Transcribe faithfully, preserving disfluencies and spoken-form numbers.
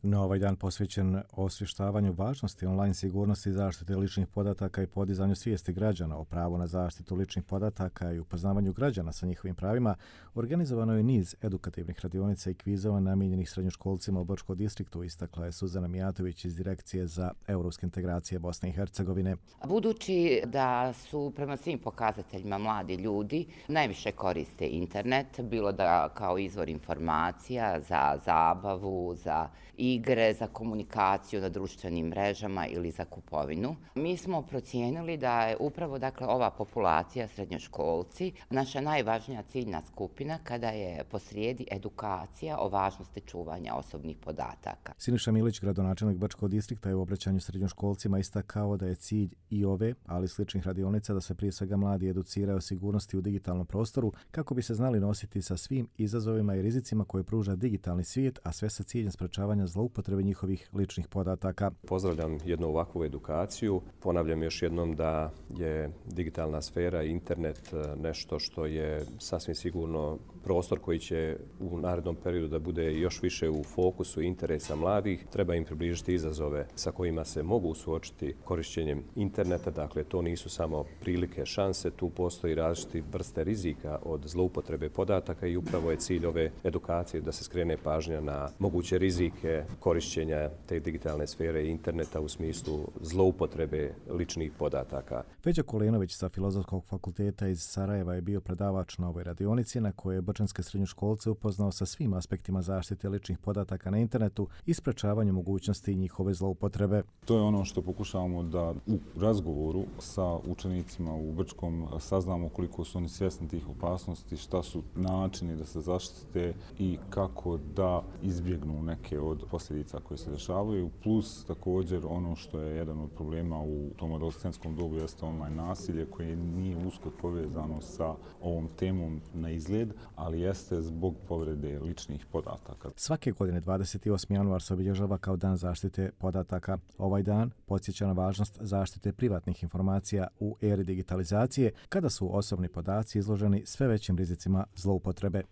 No, ovaj dan posvećen osvještavanju važnosti online sigurnosti i zaštite ličnih podataka i podizanju svijesti građana o pravu na zaštitu ličnih podataka i upoznavanju građana sa njihovim pravima, organizovano je niz edukativnih radionica i kvizova namijenjenih srednjoškolcima u Brčkom distriktu, istakla je Suzana Mijatović iz Direkcije za europske integracije Bosne i Hercegovine. Budući da su prema svim pokazateljima mladi ljudi najviše koriste internet, bilo da kao izvor informacija, za zabavu, za igre, za komunikaciju na društvenim mrežama ili za kupovinu. Mi smo procijenili da je upravo dakle, ova populacija, srednjoškolci, naša najvažnija ciljna skupina kada je posrijedi edukacija o važnosti čuvanja osobnih podataka. Siniša Milić, gradonačelnik Brčkog distrikta, je u obraćanju srednjoškolcima istakao da je cilj i ove, ali i sličnih radionica da se prije svega mladi educiraju o sigurnosti u digitalnom prostoru kako bi se znali nositi sa svim izazovima i rizicima koje pruža digitalni svijet, a sve sa ciljem sprečavanja zloupotrebe njihovih ličnih podataka. Pozdravljam jednu ovakvu edukaciju. Ponavljam još jednom da je digitalna sfera i internet nešto što je sasvim sigurno prostor koji će u narednom periodu da bude još više u fokusu interesa mladih. Treba im približiti izazove sa kojima se mogu suočiti korišćenjem interneta. Dakle, to nisu samo prilike, šanse, tu postoji različite vrste rizika od zloupotrebe podataka i upravo je cilj ove edukacije da se skrene pažnja na moguće rizike korišćenja te digitalne sfere i interneta u smislu zloupotrebe ličnih podataka. Feđa Kolenović sa Filozofskog fakulteta iz Sarajeva je bio predavač na ovoj radionici na kojoj je brčanske srednjoškolce upoznao sa svim aspektima zaštite ličnih podataka na internetu i sprečavanju mogućnosti njihove zloupotrebe. To je ono što pokušavamo da u razgovoru sa učenicima u Brčkom saznamo koliko su oni svjesni tih opasnosti, šta su načini da se zaštite i kako da izbjegnu neke od posljedica koje se dešavaju, plus također ono što je jedan od problema u tom adolescentskom dobu jeste online nasilje koje nije usko povezano sa ovom temom na izgled, ali jeste zbog povrede ličnih podataka. Svake godine dvadeset osmi januar se obilježava kao dan zaštite podataka. Ovaj dan podsjeća na važnost zaštite privatnih informacija u eri digitalizacije kada su osobni podaci izloženi sve većim rizicima zloupotrebe.